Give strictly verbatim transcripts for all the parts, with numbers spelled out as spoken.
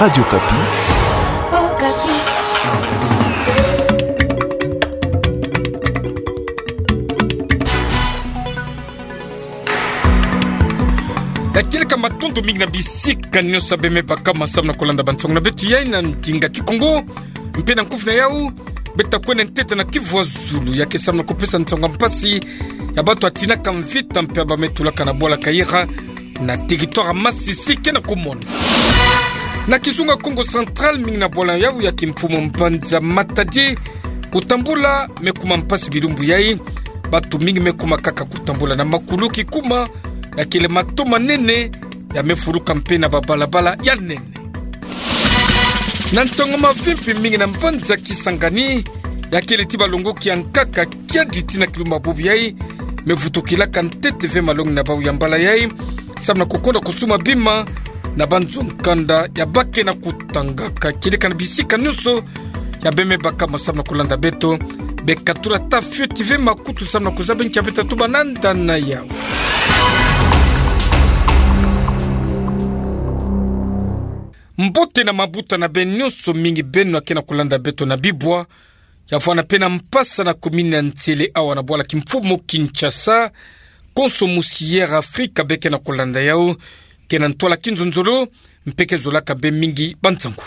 Radio Okapi. Ka kieleka matondo mingi na bisika nyonso beme baka ma samna kolanda bansangu na beto yai na ndinga Kikongo, mpe na nkufi na yau, beta kwenda ntete na kivuazulu ya ke samna kupesa nsangu ya mpasi ya bato ya tinaka mvita mpe ya bame tulaka na bwala Kayira na territoire Masisi ke na kumona. Na kizunga Kongo Central, mingi na bwala yau ya kimfumu mbanza Matadi, kutambula me kuma mpasi bilumbu yai. Bato mingi me kuma kaka kutambula na makulu kikuma ya kele mato manene ya me fuluka mpe na babalabala ya nene. Na nsangu mavimpi, mingi na mbanza Kisangani, ya kele ti balongoki ya nkaka kiadi tii na kilumbu bubu yai, me vutukilaka ntete ve malongi na bau ya mbala yai, samna kukonda kusuma bima na banzo nkanda ya bake na kutanga. Ka kieleka na bisika nyonso ya beme baka ma samna kolanda beto, bekatula ta fioti ve makutu samna kuzaba nki ya beta tuba na nda na yau. Mbote na mabuta na beno nyonso, mingi beno ya ke na kolanda beto na bibwa, ya vwanda mpe na mpasa na commune ya Nsele awa na bwala kimfumu Kinshasa. Konso musi Air Africa be ke na kolanda yau, ke na ntwala kinzonzolo, mpe ke zolaka be mingi bansangu.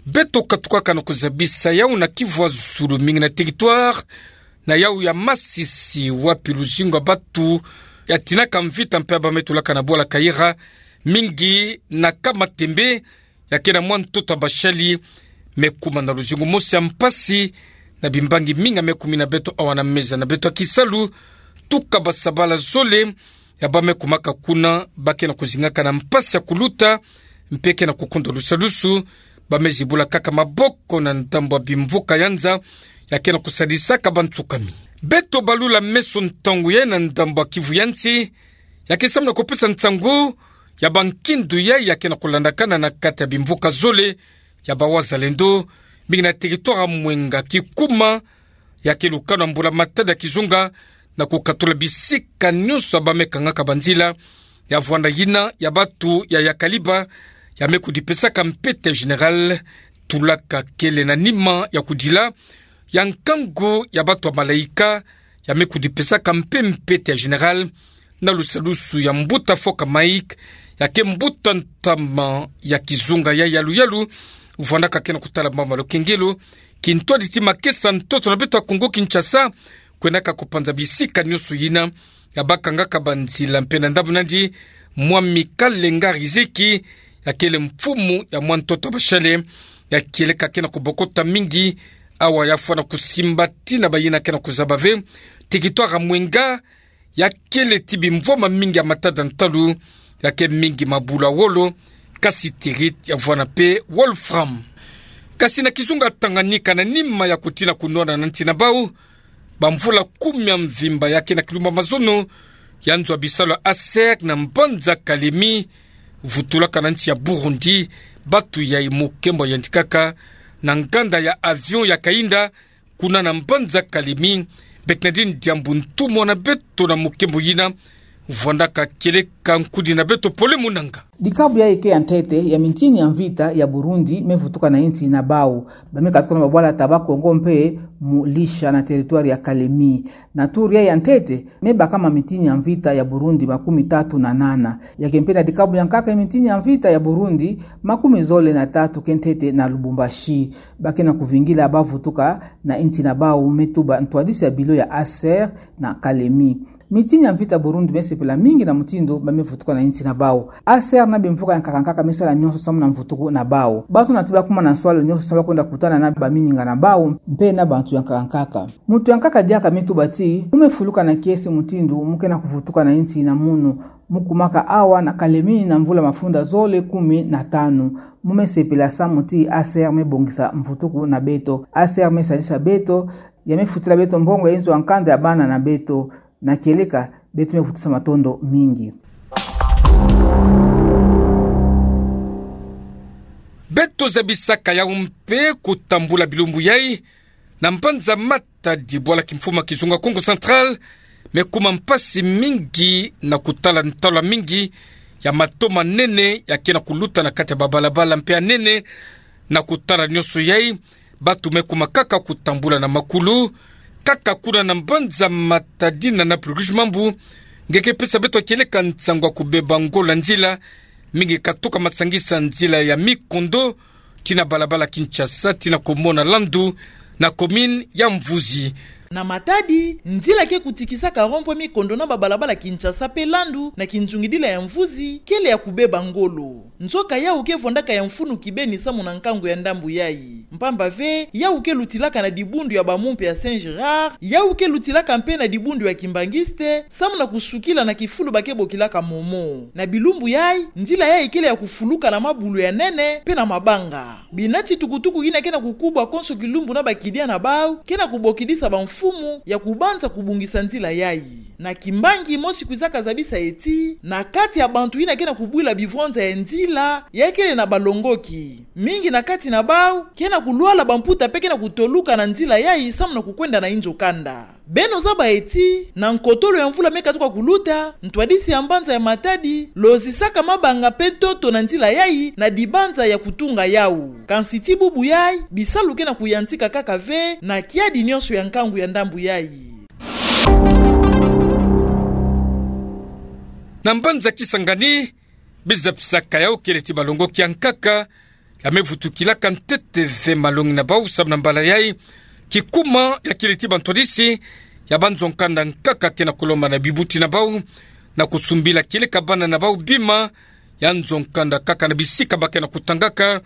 Beto katukaka na kuzabisa yau na kivuazulu, mingi na territoire na yau ya Masisi, wapi luzingu ya bato ya tinaka mvita mpe ya bame tulaka na bwala Kayira, mingi na Kamatembe, ya ke na mwa ntoto ya bashali, me kuma na luzingu mosi ya mpasi na bimbangi mingi ya me kumi na beto awa na meza na beto ya kisalu. Tuka basabala zole ya bame kumaka kuna, ba ke na kuzingaka na mpasi ya kuluta, mpe ke na kukonda lusalusu, bame zibula kaka maboko na ndambu ya bimvuka ya nza ya ke na kusadisaka bantsukami. Beto balula meso ntangu yai na ndambu ya Kivu ya nsi, ya ke samna kupesa nsangu ya bankindu yai ya ke na kulandakana na kati ya bimvuka zole ya bawazalendo, mingi na territoire ya Mwenga, kikuma ya ke lukanu ya mbula-matadi ya kizunga, na kukatula bisika nyonso ya bame kangaka banzila, ya vwanda yina ya bato ya yakaliba, ya me kudipesaka mpete ya général, tulaka kele na nima ya kudila ya nkangu ya bato ya malaika, ya me kudipesaka mpe mpete ya général, na lusalusu ya mbuta Foka Mike, ya ke mbuta ntama ya kizunga ya yalu-yalu, vwandaka ke na kutala mama lukengelo, kintwadi ti makesa ntoto na beto ya Kongo Kinshasa, kwendaka kupanza bisika nyonso yina ya bakangaka banzila. Mpe na ndambu nandi, Mwami Kalenga Riziki, ya kele mfumu ya mwa ntoto ya bashali, ya kieleka ke na kubokota mingi, awa ya fwana kusimba tii na bayina ke na kuzaba ve, territoire ya Mwenga ya kele ti bimvwama mingi ya matada ntalu, ya ke mingi mabulu ya wolo, cassiterite, ya vwanda mpe wolfram. Kasi na kizunga Tanganyika, na nima ya kutina kunwana na nsi na bau bamvula kumi ya mvimba, ya ke na kilumbu ya mazono ya nzo ya bisalu ya ASER na mbanza Kalemi, vutulaka na nsi ya Burundi, bato yai mokembo yandi kaka na nganda ya avion ya kainda kuna na mbanza Kalemi. Bernardine Diambu, ntumwa na beto na mokembo yina, vwandaka kieleka nkudi na beto Pole Munanga. Dikabu yai ke ya ntete ya mitini ya mvita ya Burundi me vutuka na insi na bau. Ba me katuka na babwala Taba-Kongo mpe Mulisha na territoire ya Kalemi. Na tour yai ya ntete, me bakama mitini ya mvita ya Burundi makumi tatu na nana. Ya ke mpe na dikabu ya nkaka ya mitini ya mvita ya Burundi, makumi zole na tatu ke ntete na Lubumbashi. Ba ke na kuvingila bavutuka na insi na bau, me tuba ntwadisi ya bilo ya ASER na Kalemi. Mitini ya mvita Burundi me sepela mingi na mutindu ba me vutuka na insi na bau. ASER na bimvuka ya nkaka nkaka me sala nyonso samu na mvutuku na bau. Ba zona ti ba kuma na nswalu nyonso samu ba kwenda kutana na bamininga na bau, mpe na bantu ya nkaka nkaka. Mutu ya nkaka diaka me tuba ti, mu me fuluka na kiese mutindu mu ke na kuvutuka na insi na munu. Mu kumaka awa na Kalemi na mvula mafunda zole kumi na tanu. Mu me sepela samu ti ASER me bongisa mvutuku na beto. ASER me salisa beto, ya me futila beto mbongo ya inzo ya nkanda ya bana na beto. Na kieleka, beto me vutisa matondo mingi. Beto zabisaka yau mpe kutambula bilumbu yai, na mbanza Matadi, bwala kimfumu ya kizunga Kongo Central, me kuma mpasi mingi na kutala ntalu mingi ya mato manene ya ke na kuluta na kati ya babalabala mpe ya nene. Na kutala nionso yai, batu me kuma kaka kutambula na makulu, kaka kuna na mbanza Matadi na Naplugush Mambu, nge ke pesa beto kieleka nsangu ya kubeba ngolo ya nzila, mingi katuka masangisa nzila ya mikondo, tii na balabala Kinshasa, tii na komona Landu, na commune ya Mvuzi. Na Matadi, nzila ke kutikisaka rond-point mikondo na babalabala Kinshasa mpe Landu, na kinzungidila ya Mvuzi, kele ya kubeba ngolo. Nzoka yawu ke vwandaka ya mfunu kibeni samu na nkangu ya ndambu yai. Mpamba ve, yawu ke lutilaka na dibundu ya bamumpe ya Saint-Gérard, yawu ke lutilaka mpe na dibundu ya Kimbanguiste, samu na kusukila na kifulu ba ke bokilaka Momo. Na bilumbu yai, nzila yai kele ya kufuluka na mabulu ya nene, mpe na mabanga. Bina titukutuku yina ke na kukubwa konso kilumbu na bakidia na bawu, ke na kubokidisa bamfumu ya kubanza kubungisa nzila yai. Na kimbangi mosi kwizaka zabisa ti, na kati ya bantu yina ke na kubwila bivwanza ya nzila, yai kele na balongoki. Mingi na kati na bawu, ke na kulwala bamputa mpe ke na kutoluka na nzila yai samu na kukwenda na inzo kanda. Beno zaba ti, na nkotolo ya mvula me katuka kuluta, ntwadisi ya mbanza ya Matadi, lozisaka mabanga mpe ntoto na nzila yai na dibanza ya kutunga yawu. Kansi tii bubu yai, bisalu ke na kuyantika kaka ve, na kiadi nionso ya nkangu ya ndambu yai. Na mbanza Kisangani, biza pisaka yawu kele ti balongoki ya nkaka, ya me vutukilaka ntete ve malongi na bawu samu na mbala yai, kikuma ya kele ti bantwadisi ya banzo kanda nkaka ke na kulomba na bibuti na bawu, na kusumbila kieleka bana na bawu bima ya nzo kanda kaka na bisika ba ke na kutangaka,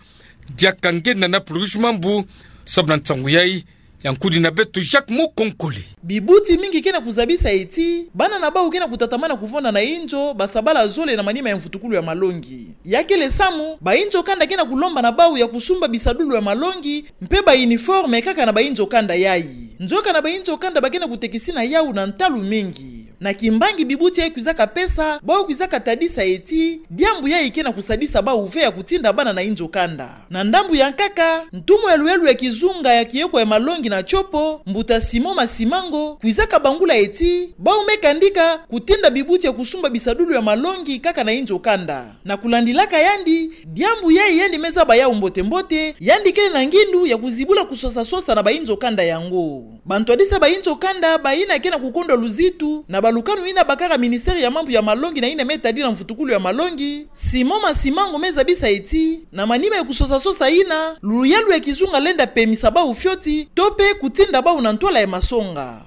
diaka nge na Naplugush Mambu, samu na nsangu yai, ya nkudina beto Jacques Mukonkole. Bibuti mingi ke na kuzabisa ti, bana na bawu ke na kutatamana kuvonda na inzo, basabala zole na manima ya mvutukulu ya malongi. Ya kele samu, bainzo kanda ke na kulomba na bawu ya kusumba bisadulu ya malongi, mpe ba uniforme kaka na bainzo kanda yai. Nzoka na bainzo kanda ba ke na kutekisina yawu na ntalu mingi. Na kimbangi bibuti yai kwizaka pesa, bawu kwizaka tadisa ti, diambu yai ke na kusadisa bawu ve ya kutinda bana na inzo kanda. Na ndambu ya nkaka, ntumwa ya luyalu ya kizunga ya kieko ya malongi na tiopo, mbuta Simon Masimango, kwizaka bangula ti, bawu me kandika, kutinda bibuti ya kusumba bisadulu ya malongi kaka na inzo kanda. Na kulandilaka yandi, diambu yai yandi me zaba yawu mbote-mbote, yandi kele na ngindu ya kuzibula kusosa-sosa na bainzo kanda yango. Bantwadisi ya bainzo kanda, bayina ke na kukondwa luzitu, na balukanu yina bakaka ministère ya mambu ya malongi na yina me tadila mvutukulu ya malongi, Simon Masimango me zabisa ti, na manima ya kusosa-sosa yina, luyalu ya kizunga lenda pemisa bawu fioti, to mpe kutinda bawu na ntwala ya masonga.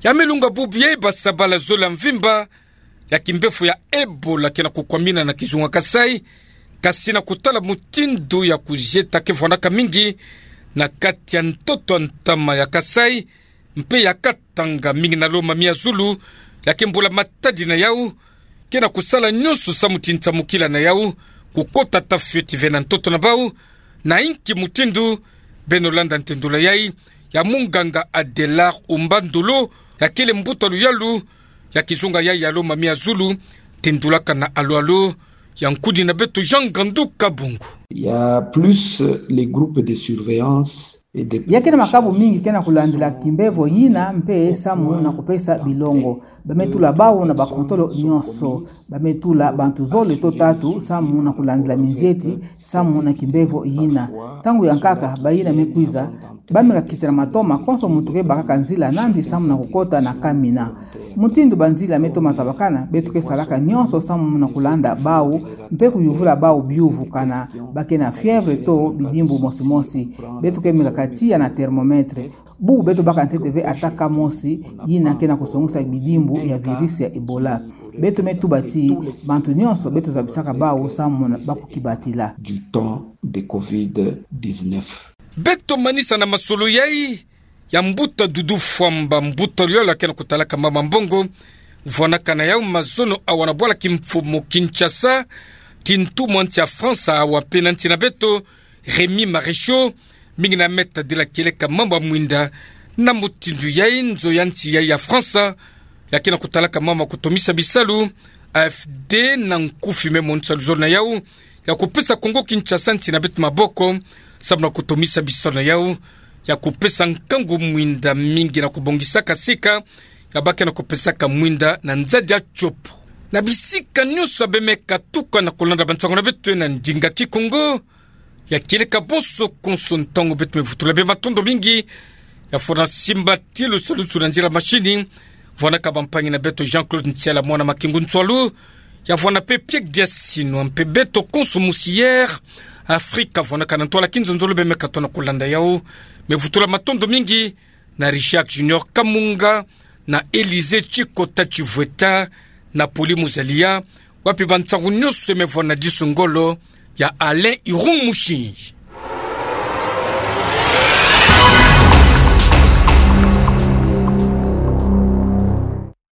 Ya me lunga bubu yai basabala zole ya mvimba, ya kimbefo ya Ebola ke na kukwamina na kizunga Kasai, kasi na kutala mutindu ya kuzieta ke vwandaka mingi na kati ya ntoto ya ntama ya Kasai, mpe ya Katanga mingi na Lomami ya Zulu, ya ke mbula Matadi na yawu, ke na kusala nionso samu ti nsamukila na yawu, kukota ata fioti ve na ntoto na bawu, na inki mutindu, beno landa ntendula yai, ya munganga Adelard Umbandolo, ya kele mbuta luyalu ya kizunga yai ya Lomami ya Zulu, tendulaka na alo-alo ya nkudina beto Jean Ngandu Kabungu. Il y a plus les groupes de surveillance et de... Ya ke na makabu mingi ke na kulandila kimbevo yina mpe samu na kupesa bilongo. Ba me tula bawu na bakontolo nionso. Ba me tula bantu zole to tatu samu na kulandila minzeti, samu na kimbevo yina. Ntangu ya nkaka, bayina me kwiza, ba me kakitana matoma konso muntu ke bakaka nzila nandi samu na kukota na kamina. Mutindu banzila me toma zabakana, beto ke salaka nionso samu na kulanda bawu, mpe kuyuvula bawu biyuvu kana ba ke na fièvre to bidimbu mosi-mosi. Beto ke meka ka tiya na thermomètre. Bubu beto baka ntete ve ata cas mosi yina ke na kusongisa bidimbu ya virus ya Ebola. Beto me tuba ti, bantu nionso beto zabisaka bawu samu na ba kukibatila. Du temps de covid dix-neuf. Beto manisa na masolo yai ya mbuta Dudu Fwamba, mbuta luyalu ya ke na kutalaka mama mbongo, vwanaka na yawu mazono awa na bwala kimfumu Kinshasa, ti ntumwa nsi ya France awa mpe na nsi na beto, Rémy Maréchal, mingi na me tadila kieleka mama mwinda, na mutindu yai nzo ya nsi yai ya France ya ke na kutalaka mama kutomisa bisalu, A F D na nkufi me monisa luzolo na yawu ya kupesa Kongo Kinshasa nsi na beto maboko, samu na kutomisa bisalu na yawu ya kupesa nkangu mwinda mingi na kubongisaka sika ya ba ke na kupesaka mwinda na nzadi ya tiopo. Na bisika nyonso abe me katuka na kolanda bansango na beto na ndinga Kikongo, ya kieleka bonso konso ntangu beto me vutula be matondo mingi, ya fona simbatilu salusu na nzila machine, vwanaka bampangi na beto Jean-Claude Ntiala mwana Makingu Ntsualu, ya vwana pe Piek Diasino, mpe beto konso musi Air Afrika, vwanaka na ntwala kinzonzolo be me katoa na kolanda yau, me vutula matondo mingi, na Richard Junior Kamunga, na Elysée Tshikota Tshivweta, na Poli Muzalia, wapi bansango nyonso me vwana disu ngolo, ya Alain Irung Mushi.